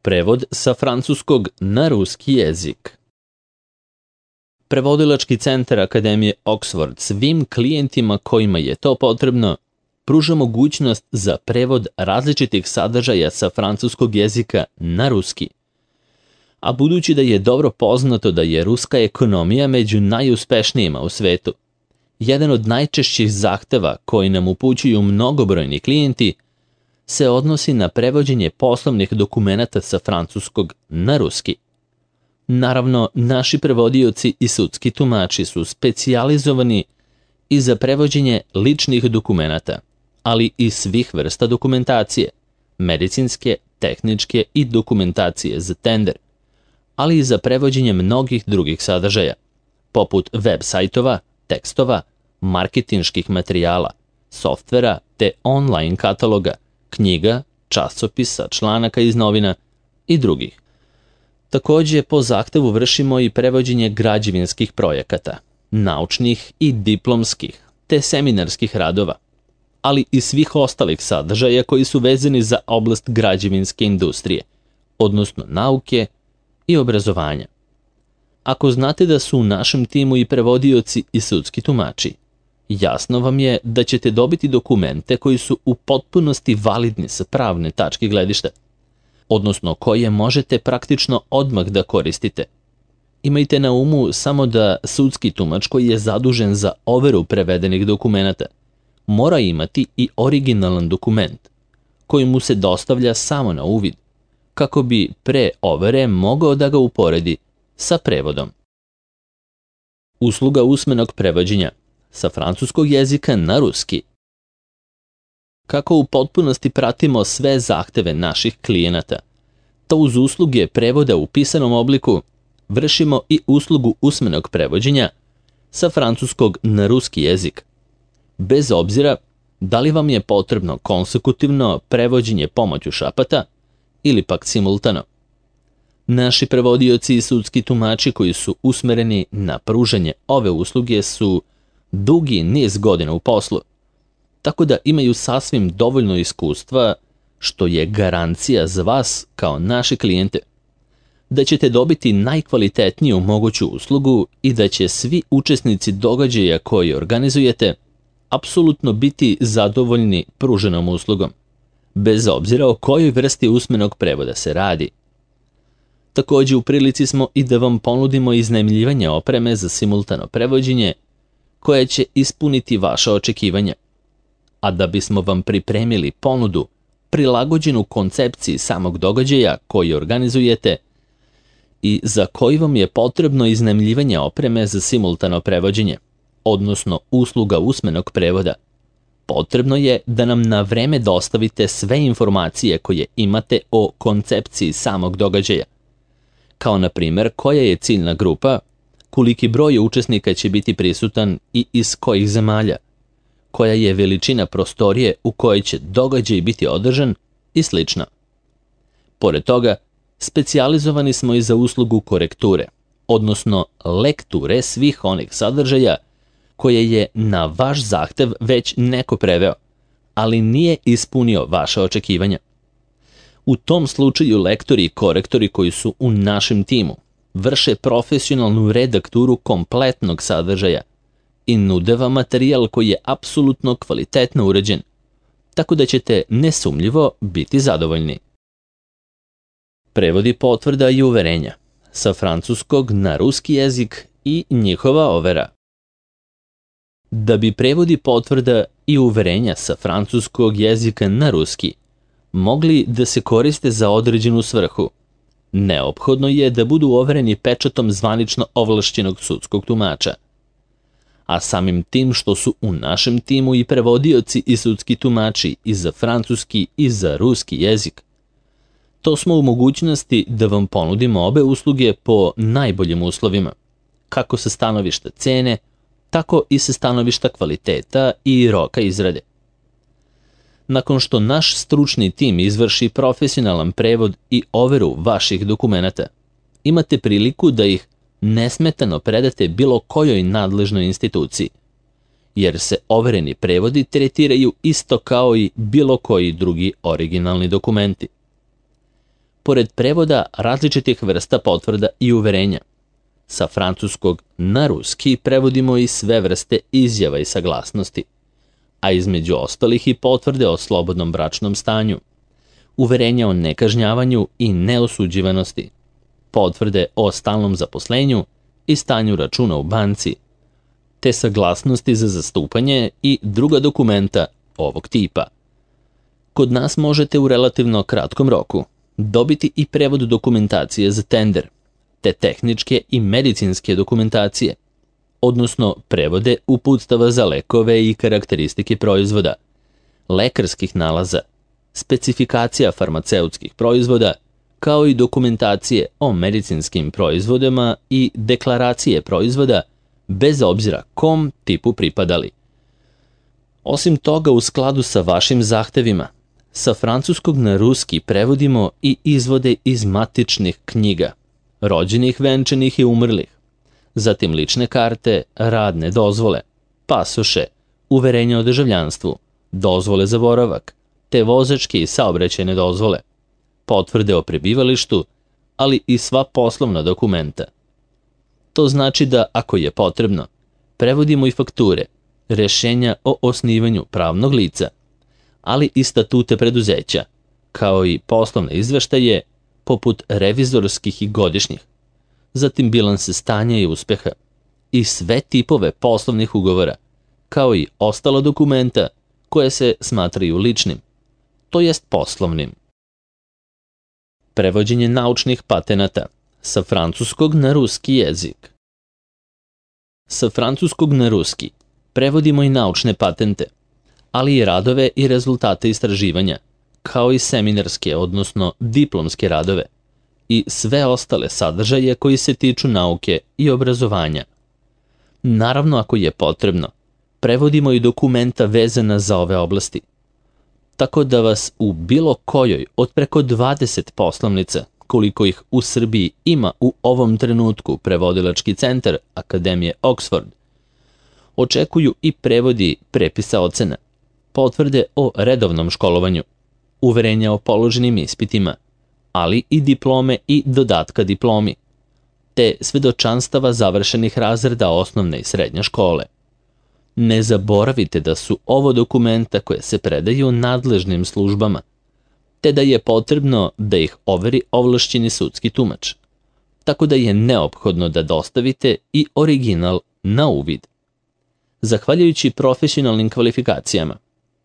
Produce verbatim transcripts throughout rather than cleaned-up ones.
Prevod sa francuskog na ruski jezik. Prevodilački centar Akademije Oxford svim klijentima kojima je to potrebno pruža mogućnost za prevod različitih sadržaja sa francuskog jezika na ruski. A budući da je dobro poznato da je ruska ekonomija među najuspešnijima u svetu, jedan od najčešćih zahteva koji nam upućuju mnogobrojni klijenti se odnosi na prevođenje poslovnih dokumenata sa francuskog na ruski. Naravno, naši prevodioci i sudski tumači su specijalizovani i za prevođenje ličnih dokumenata, ali i svih vrsta dokumentacije, medicinske, tehničke i dokumentacije za tender, ali i za prevođenje mnogih drugih sadržaja, poput web sajtova, tekstova, marketinških materijala, softvera te online kataloga, knjiga, časopisa, članaka iz novina i drugih. Također, po zahtevu vršimo i prevođenje građevinskih projekata, naučnih i diplomskih, te seminarskih radova, ali i svih ostalih sadržaja koji su vezani za oblast građevinske industrije, odnosno nauke i obrazovanja. Ako znate da su u našem timu i prevodioci i sudski tumači, jasno vam je da ćete dobiti dokumente koji su u potpunosti validni sa pravne tačke gledišta, odnosno koje možete praktično odmah da koristite. Imajte na umu samo da sudski tumač koji je zadužen za overu prevedenih dokumenata mora imati i originalan dokument koji mu se dostavlja samo na uvid, kako bi pre overe mogao da ga uporedi sa prevodom. Usluga usmenog prevođenja sa francuskog jezika na ruski. Kako u potpunosti pratimo sve zahteve naših klijenata, to uz usluge prevoda u pisanom obliku vršimo i uslugu usmenog prevođenja sa francuskog na ruski jezik, bez obzira da li vam je potrebno konsekutivno prevođenje pomoću šapata ili pak simultano. Naši prevodioci i sudski tumači koji su usmereni na pružanje ove usluge su dugi niz godina u poslu, tako da imaju sasvim dovoljno iskustva, što je garancija za vas kao naši klijente, da ćete dobiti najkvalitetniju moguću uslugu i da će svi učesnici događaja koji organizujete apsolutno biti zadovoljni pruženom uslugom, bez obzira o kojoj vrsti usmenog prevoda se radi. Također u prilici smo i da vam ponudimo iznajmljivanje opreme za simultano prevođenje koje će ispuniti vaša očekivanja. A da bismo vam pripremili ponudu prilagođenu koncepciji samog događaja koji organizujete i za koji vam je potrebno iznajmljivanje opreme za simultano prevođenje, odnosno usluga usmenog prevoda, potrebno je da nam na vreme dostavite sve informacije koje imate o koncepciji samog događaja, kao na primjer koja je ciljna grupa, koliki broj učesnika će biti prisutan i iz kojih zemalja, koja je veličina prostorije u kojoj će događaj biti održan i sl. Pored toga, specijalizovani smo i za uslugu korekture, odnosno lekture svih onih sadržaja koje je na vaš zahtev već neko preveo, ali nije ispunio vaše očekivanja. U tom slučaju lektori i korektori koji su u našem timu vrše profesionalnu redakturu kompletnog sadržaja i nude vam materijal koji je apsolutno kvalitetno uređen, tako da ćete nesumnjivo biti zadovoljni. Prevodi potvrda i uverenja sa francuskog na ruski jezik i njihova overa. Da bi prevodi potvrda i uverenja sa francuskog jezika na ruski mogli da se koriste za određenu svrhu, neophodno je da budu overeni pečatom zvanično ovlašćenog sudskog tumača. A samim tim što su u našem timu i prevodioci i sudski tumači i za francuski i za ruski jezik, to smo u mogućnosti da vam ponudimo obe usluge po najboljim uslovima, kako sa stanovišta cene, tako i sa stanovišta kvaliteta i roka izrade. Nakon što naš stručni tim izvrši profesionalan prevod i overu vaših dokumenata, imate priliku da ih nesmetano predate bilo kojoj nadležnoj instituciji, jer se overeni prevodi tretiraju isto kao i bilo koji drugi originalni dokumenti. pored prevoda različitih vrsta potvrda i uverenja. Sa francuskog na ruski prevodimo i sve vrste izjava i saglasnosti, a između ostalih i potvrde o slobodnom bračnom stanju, uverenja o nekažnjavanju i neosuđivanosti, potvrde o stalnom zaposlenju i stanju računa u banci, te saglasnosti za zastupanje i druga dokumenta ovog tipa. Kod nas možete u relativno kratkom roku dobiti i prevod dokumentacije za tender, te tehničke i medicinske dokumentacije, odnosno prevode uputstava za lekove i karakteristike proizvoda, lekarskih nalaza, specifikacija farmaceutskih proizvoda, kao i dokumentacije o medicinskim proizvodima i deklaracije proizvoda, bez obzira kom tipu pripadali. Osim toga, u skladu sa vašim zahtevima, sa francuskog na ruski prevodimo i izvode iz matičnih knjiga, rođenih, venčanih i umrlih, zatim lične karte, radne dozvole, pasoše, uverenja o državljanstvu, dozvole za boravak, te vozačke i saobraćajne dozvole, potvrde o prebivalištu, ali i sva poslovna dokumenta. To znači da, ako je potrebno, prevodimo i fakture, rešenja o osnivanju pravnog lica, ali i statute preduzeća, kao i poslovne izveštaje, poput revizorskih i godišnjih, zatim bilanse stanja i uspeha, i sve tipove poslovnih ugovora, kao i ostala dokumenta koje se smatraju ličnim, to jest poslovnim. Prevođenje naučnih patenata sa francuskog na ruski jezik. Sa francuskog na ruski prevodimo i naučne patente, ali i radove i rezultate istraživanja, kao i seminarske, odnosno diplomske radove, i sve ostale sadržaje koji se tiču nauke i obrazovanja. Naravno, ako je potrebno, prevodimo i dokumenta vezana za ove oblasti, tako da vas u bilo kojoj od preko dvadeset poslovnica, koliko ih u Srbiji ima u ovom trenutku prevodilački centar Akademije Oxford, očekuju i prevodi prepisa ocena, potvrde o redovnom školovanju, uverenja o položenim ispitima, ali i diplome i dodatka diplomi, te svedočanstava završenih razreda osnovne i srednje škole. Ne zaboravite da su ovo dokumenta koje se predaju nadležnim službama, te da je potrebno da ih overi ovlašćeni sudski tumač, tako da je neophodno da dostavite i original na uvid. Zahvaljujući profesionalnim kvalifikacijama,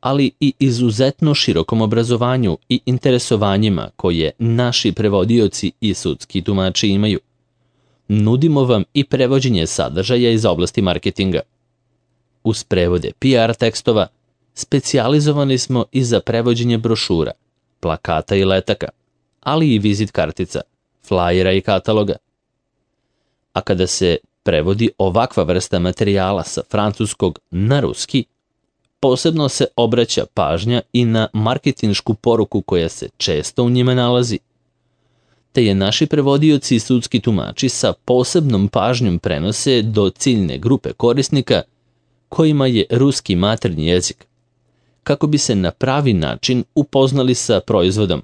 ali i izuzetno širokom obrazovanju i interesovanjima koje naši prevodioci i sudski tumači imaju, nudimo vam i prevođenje sadržaja iz oblasti marketinga. Uz prevode P R tekstova, specijalizovani smo i za prevođenje brošura, plakata i letaka, ali i vizit kartica, flajera i kataloga. A kada se prevodi ovakva vrsta materijala sa francuskog na ruski, posebno se obraća pažnja i na marketinšku poruku koja se često u njima nalazi, te je naši prevodioci i sudski tumači sa posebnom pažnjom prenose do ciljne grupe korisnika kojima je ruski maternji jezik, kako bi se na pravi način upoznali sa proizvodom,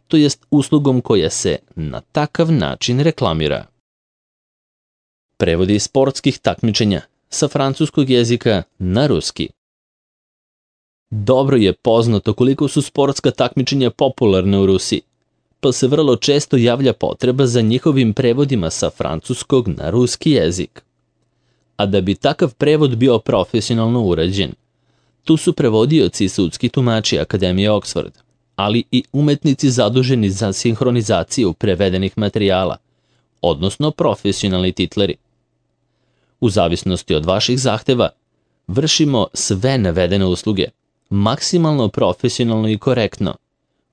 to jest uslugom koja se na takav način reklamira. Prevodi sportskih takmičenja sa francuskog jezika na ruski. Dobro je poznato koliko su sportska takmičenja popularna u Rusiji, pa se vrlo često javlja potreba za njihovim prevodima sa francuskog na ruski jezik. A da bi takav prevod bio profesionalno urađen, tu su prevodioci i sudski tumači Akademije Oxford, ali i umetnici zaduženi za sinhronizaciju prevedenih materijala, odnosno profesionalni titleri. U zavisnosti od vaših zahteva, vršimo sve navedene usluge, maksimalno profesionalno i korektno,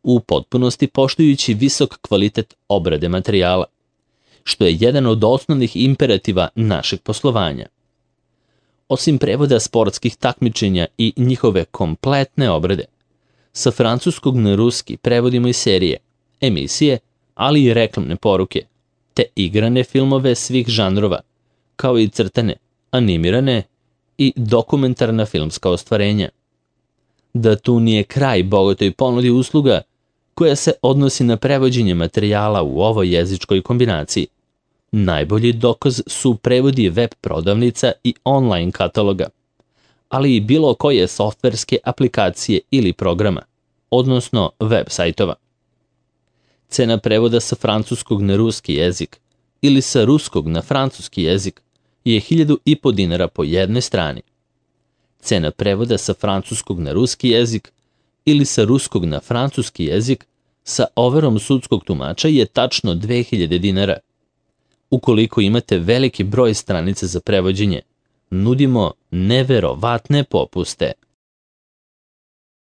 u potpunosti poštujući visok kvalitet obrade materijala, što je jedan od osnovnih imperativa našeg poslovanja. Osim prevoda sportskih takmičenja i njihove kompletne obrade, sa francuskog na ruski prevodimo i serije, emisije, ali i reklamne poruke, te igrane filmove svih žanrova, kao i crtane, animirane i dokumentarna filmska ostvarenja. Da tu nije kraj bogatoj ponudi usluga, koja se odnosi na prevođenje materijala u ovoj jezičkoj kombinaciji. Najbolji dokaz su prevodi web prodavnica i online kataloga, ali i bilo koje softverske aplikacije ili programa, odnosno web sajtova. Cena prevoda sa francuskog na ruski jezik ili sa ruskog na francuski jezik je hiljadu i po dinara po jednoj strani. Cena prevoda sa francuskog na ruski jezik ili sa ruskog na francuski jezik sa overom sudskog tumača je tačno dve hiljade dinara. Ukoliko imate veliki broj stranica za prevođenje, nudimo neverovatne popuste.